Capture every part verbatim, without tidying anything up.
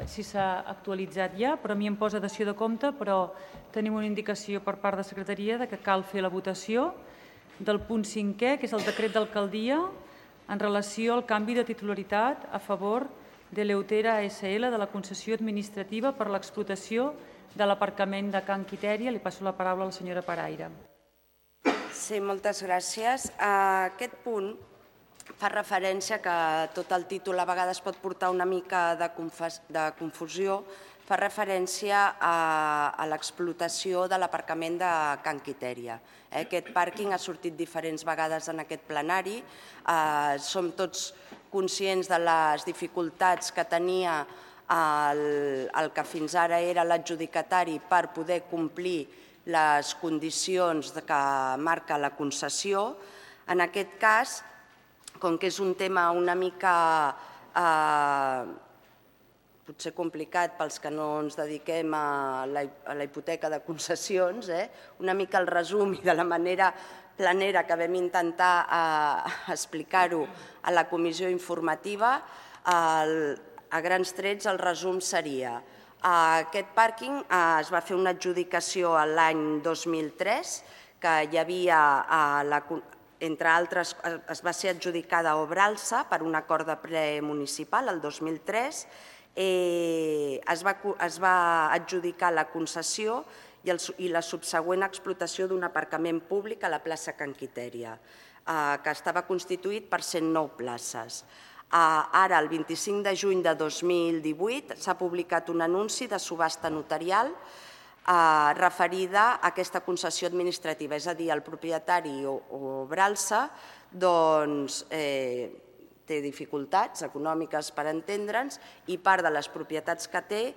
si s'ha actualitzat ja, però a mi em posa dació de compte, però tenim una indicació per part de Secretaria de que cal fer la votació del punt cinquè, que és el decret d'alcaldia en relació al canvi de titularitat a favor de l'Eleutera A S L de la concessió administrativa per l'explotació de l'aparcament de Can Quitèria. Li passo la paraula a la senyora Paraire. Sí, moltes gràcies. Aquest punt fa referència que tot el títol a vegades pot portar una mica de confusió, fa referència a l'explotació de l'aparcament de Can Quitèria. Aquest pàrquing ha sortit diferents vegades en aquest plenari. Som tots conscients de les dificultats que tenia el que fins ara era l'adjudicatari per poder complir les condicions que marca la concessió. En aquest cas, com que és un tema una mica potser complicat pels que no ens dediquem a la hipoteca de concessions, una mica el resum i de la manera planera que vam intentar explicar-ho a la comissió informativa, a grans trets el resum seria: aquest pàrquing es va fer una adjudicació l'any dos mil tres, que hi havia, entre altres, es va ser adjudicada a Obralsa per un acord de ple municipal el dos mil tres, es va adjudicar la concessió i la subsegüent explotació d'un aparcament públic a la plaça Can Quitèria, que estava constituït per cent nou places. Ara, el vint-i-cinc de juny de dos mil divuit, s'ha publicat un anunci de subhasta notarial referida a aquesta concessió administrativa, és a dir, el propietari Obralsa té dificultats econòmiques per entendre'ns i part de les propietats que té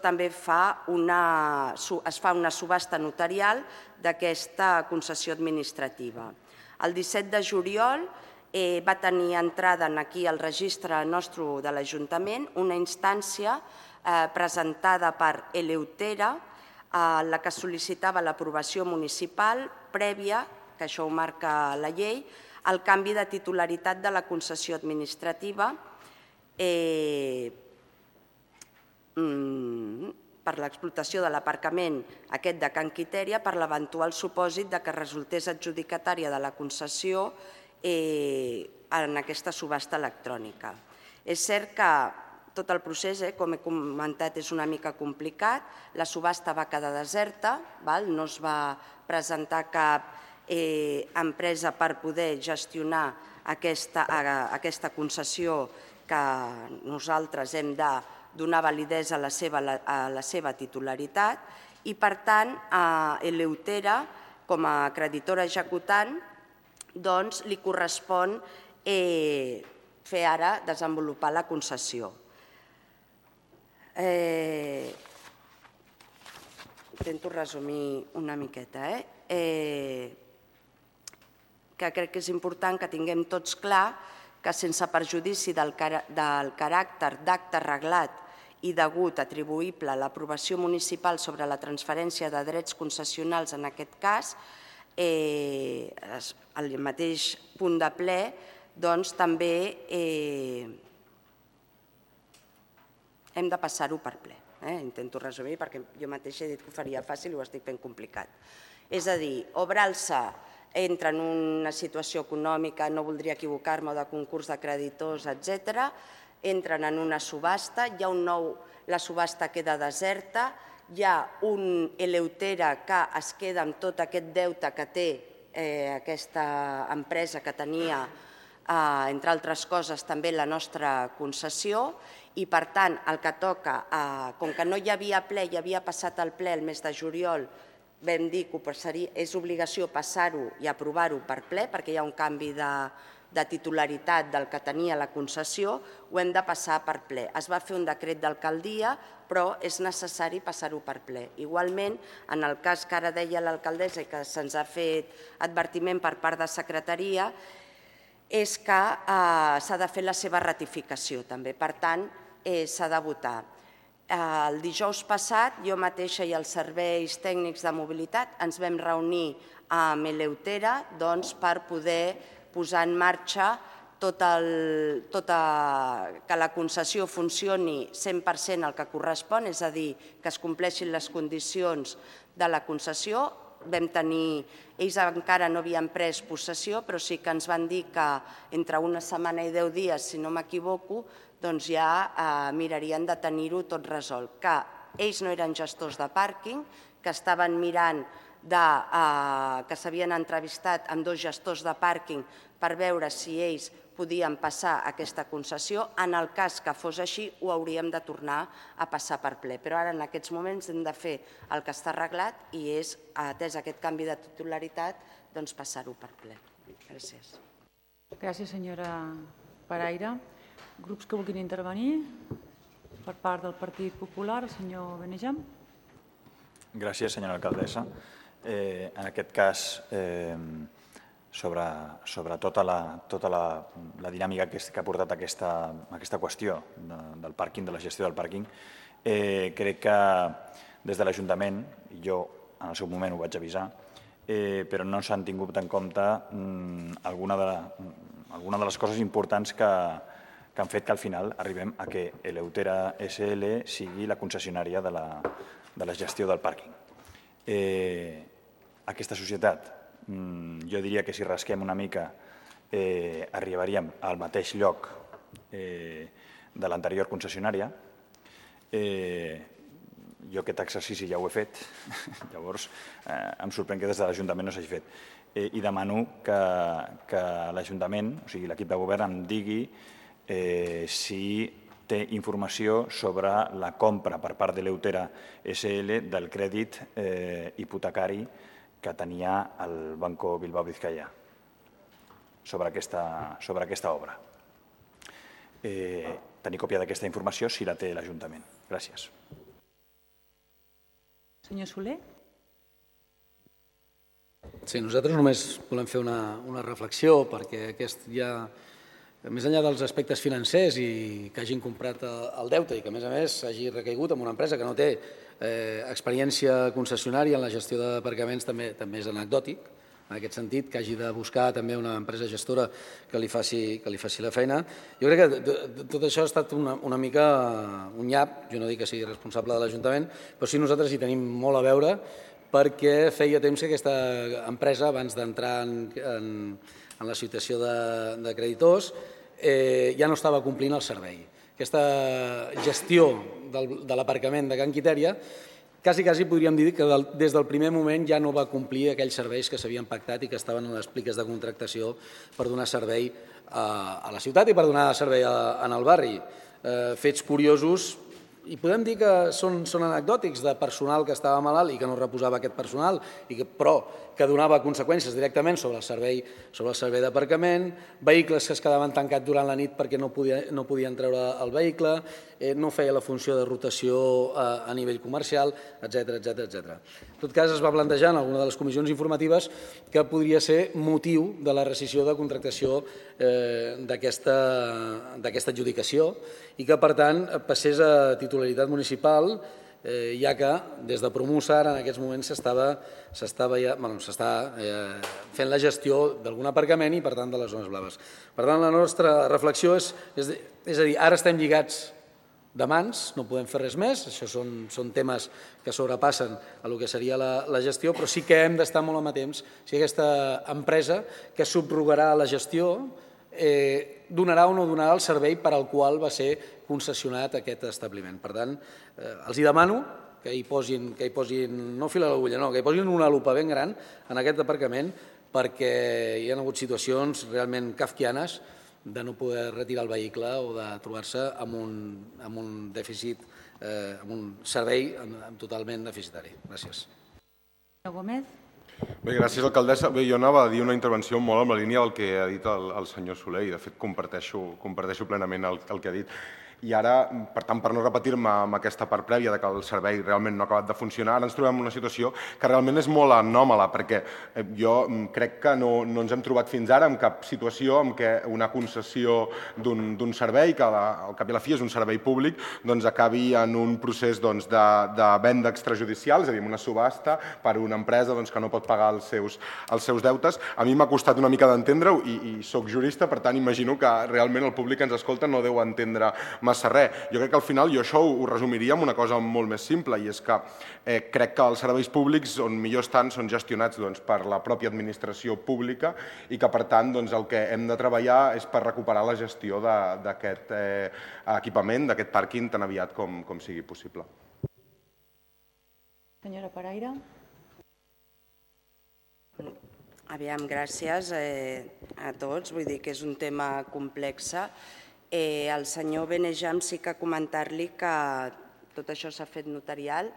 també es fa una subhasta notarial d'aquesta concessió administrativa. El disset de juliol va tenir entrada aquí al registre nostre de l'Ajuntament una instància presentada per Eleutera, la que sol·licitava l'aprovació municipal prèvia, que això ho marca la llei, al canvi de titularitat de la concessió administrativa per l'explotació de l'aparcament aquest de Can Quitèria per l'eventual supòsit que resultés adjudicatària de la concessió en aquesta subhasta electrònica. És cert que tot el procés, com he comentat, és una mica complicat. La subhasta va quedar deserta, no es va presentar cap empresa per poder gestionar aquesta concessió que nosaltres hem de donar validesa a la seva titularitat i, per tant, a Eleutera, com a creditora executant, li correspon fer ara desenvolupar la concessió. Intento resumir una miqueta, que crec que és important que tinguem tots clar que sense perjudici del caràcter d'acte reglat i degut atribuïble a l'aprovació municipal sobre la transferència de drets concessionals en aquest cas, al mateix punt de ple, doncs també hem de passar-ho per ple. Intento resumir perquè jo mateixa he dit que ho faria fàcil i ho estic fent complicat. És a dir, Obralsa entra en una situació econòmica, no voldria equivocar-me, de concurs de creditors, etcètera, entren en una subhasta, hi ha un nou, la subhasta queda deserta, hi ha un Eleutera que es queda amb tot aquest deute que té aquesta empresa que tenia, entre altres coses, també la nostra concessió, i per tant el que toca, com que no hi havia ple, hi havia passat el ple el mes de juliol, vam dir que és obligació passar-ho i aprovar-ho per ple perquè hi ha un canvi de titularitat del que tenia la concessió, ho hem de passar per ple. Es va fer un decret d'alcaldia, però és necessari passar-ho per ple. Igualment, en el cas que ara deia l'alcaldessa i que se'ns ha fet advertiment per part de secretaria, és que s'ha de fer la seva ratificació també. Per tant, s'ha de votar. El dijous passat, jo mateixa i els serveis tècnics de mobilitat ens vam reunir amb Eleutera per poder posar en marxa tot el, tota, que la concessió funcioni cent per cent el que correspon, és a dir, que es compleixin les condicions de la concessió. Vam tenir, ells encara no havien pres possessió, però sí que ens van dir que entre una setmana i deu dies, si no m'equivoco, doncs ja eh, mirarien de tenir-ho tot resolt. Que ells no eren gestors de pàrquing, que estaven mirant de, eh, que s'havien entrevistat amb dos gestors de pàrquing per veure si ells podien passar aquesta concessió. En el cas que fos així, ho hauríem de tornar a passar per ple. Però ara, en aquests moments, hem de fer el que està arreglat i és, atès aquest canvi de titularitat, doncs passar-ho per ple. Gràcies. Gràcies, senyora Paraire. Grups que vulguin intervenir? Per part del Partit Popular, el senyor Benejam. Gràcies, senyora alcaldessa. Eh, en aquest cas, eh, sobre, sobre tota, la, tota la, la dinàmica que, que ha portat aquesta, aquesta qüestió de, del pàrquing, de la gestió del pàrquing, eh, crec que des de l'Ajuntament, jo en el seu moment ho vaig avisar, eh, però no s'han tingut en compte mm, alguna, de, alguna de les coses importants que, que han fet que al final arribem a que Eleutera S L sigui la concessionària de la, de la gestió del pàrquing. Eh, aquesta societat, jo diria que si rasquem una mica eh, arribaríem al mateix lloc eh, de l'anterior concessionària. Eh, jo aquest exercici ja ho he fet, llavors eh, em sorprèn que des de l'Ajuntament no s'hagi fet. Eh, I demano que, que l'Ajuntament, o sigui l'equip de govern, em digui eh, si té informació sobre la compra per part de l'Eutera S L del crèdit eh, hipotecari que tenia el Banco Bilbao Vizcaya sobre aquesta, sobre aquesta obra. Eh, tenir còpia d'aquesta informació si la té l'Ajuntament. Gràcies. Senyor Soler. Sí, nosaltres només volem fer una, una reflexió perquè aquest ja, més enllà dels aspectes financers i que hagin comprat el deute i que a més a més hagi recaigut en una empresa que no té eh, experiència concessionària en la gestió d'aparcaments també, també és anecdòtic, en aquest sentit, que hagi de buscar també una empresa gestora que li faci, que li faci la feina. Jo crec que tot això ha estat una, una mica un nyap, jo no dic que sigui responsable de l'Ajuntament, però sí nosaltres hi tenim molt a veure perquè feia temps que aquesta empresa, abans d'entrar en, en, en la situació de, de creditors, eh, ja no estava complint el servei. Aquesta gestió del, de l'aparcament de Can Quitèria, quasi, quasi podríem dir que del, des del primer moment ja no va complir aquells serveis que s'havien pactat i que estaven en les pliques de contractació per donar servei a, a la ciutat i per donar servei a, en el barri. Eh, fets curiosos, i podem dir que són, són anecdòtics de personal que estava malalt i que no reposava aquest personal, i que, però que donava conseqüències directament sobre el servei, sobre el servei d'aparcament, vehicles que es quedaven tancats durant la nit perquè no, podia, no podien treure el vehicle, eh, no feia la funció de rotació a, a nivell comercial, etcètera, etcètera, etcètera. En tot cas, es va plantejar en alguna de les comissions informatives que podria ser motiu de la rescissió de contractació eh, d'aquesta adjudicació i que, per tant, passés a titularitat municipal, eh, ja que des de Promusar en aquests moments s'està ja, bueno, eh, fent la gestió d'algun aparcament i, per tant, de les zones blaves. Per tant, la nostra reflexió és, és, és a dir, ara estem lligats de mans, no podem fer res més, això són, són temes que sobrepassen a el que seria la, la gestió, però sí que hem d'estar molt amatents si aquesta empresa que subrogarà la gestió eh, donarà o no donarà el servei per al qual va ser concessionat aquest establiment. Per tant, eh, els hi demano que hi posin, que hi posin no fil a l'agulla, no, que hi posin una lupa ben gran en aquest aparcament perquè hi ha hagut situacions realment kafkianes de no poder retirar el vehicle o de trobar-se amb un, amb un dèficit, eh, amb un servei totalment deficitari. Gràcies. Senyor Gómez. Bé, gràcies, alcaldessa. Bé, jo anava a dir una intervenció molt en la línia del que ha dit el, el senyor Soler i, de fet, comparteixo, comparteixo plenament el, el que ha dit. I ara, per tant, per no repetir-me amb aquesta part prèvia de que el servei realment no ha acabat de funcionar, ara ens trobem en una situació que realment és molt anòmala, perquè jo crec que no, no ens hem trobat fins ara en cap situació en què una concessió d'un servei, que al cap i a la fi és un servei públic, doncs acabi en un procés doncs, de, de venda extrajudicial, és a dir, una subhasta per una empresa doncs, que no pot pagar els seus, els seus deutes. A mi m'ha costat una mica d'entendre-ho i, i soc jurista, per tant imagino que realment el públic que ens escolta no deu entendre massa res. Jo crec que al final jo això ho, ho resumiria amb una cosa molt més simple, i és que eh, crec que els serveis públics on millor estan són gestionats doncs, per la pròpia administració pública i que per tant doncs, el que hem de treballar és per recuperar la gestió d'aquest eh, equipament, d'aquest pàrquing tan aviat com, com sigui possible. Senyora Paraire. Aviam, gràcies eh, a tots. Vull dir que és un tema complex. Eh, el senyor Benejam sí que comentar-li que tot això s'ha fet notarial.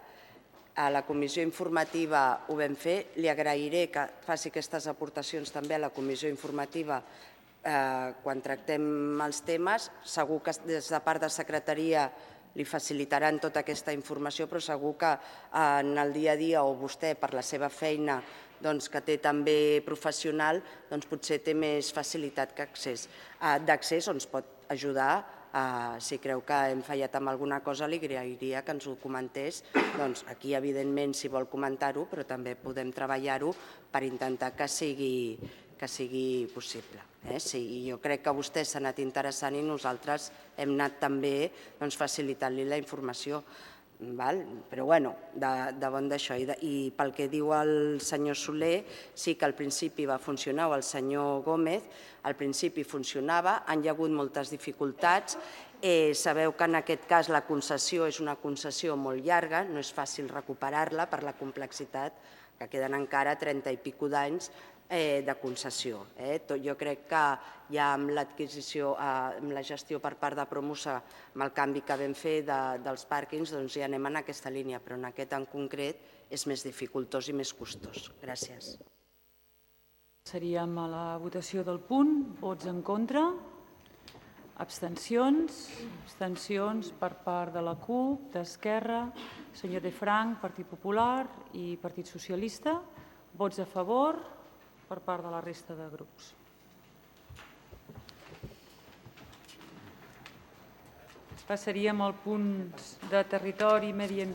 A la comissió informativa ho vam fer. Li agrairé que faci aquestes aportacions també a la comissió informativa eh, quan tractem els temes. Segur que des de part de secretaria li facilitaran tota aquesta informació, però segur que en el dia a dia o vostè per la seva feina doncs, que té també professional, doncs, potser té més facilitat d'accés, on ens pot ajudar. Eh, si creu que hem fallat amb alguna cosa, li agrairia que ens ho comentés. Doncs, aquí, evidentment, si vol comentar-ho, però també podem treballar-ho per intentar que sigui, que sigui possible. Eh? Sí, jo crec que vostè s'ha anat interessant i nosaltres hem anat també doncs, facilitant-li la informació. Val? Però bueno, de, de bon d'això. I, de, I pel que diu el senyor Soler, sí que al principi va funcionar, o el senyor Gómez, al principi funcionava, han hi hagut moltes dificultats. Eh, sabeu que en aquest cas la concessió és una concessió molt llarga, no és fàcil recuperar-la per la complexitat, que queden encara trenta i pico d'anys eh, de concessió. Eh? Tot, jo crec que ja amb l'adquisició, eh, amb la gestió per part de Promusa, amb el canvi que vam fer de, dels pàrquings, doncs ja anem en aquesta línia, però en aquest en concret és més dificultós i més costós. Gràcies. Seríem a la votació del punt. Vots en contra? Abstencions? Abstencions per part de la CUP, d'Esquerra, senyor De Frank, Partit Popular i Partit Socialista. Vots a favor per part de la resta de grups. Passaríem al punt de territori i medi ambient.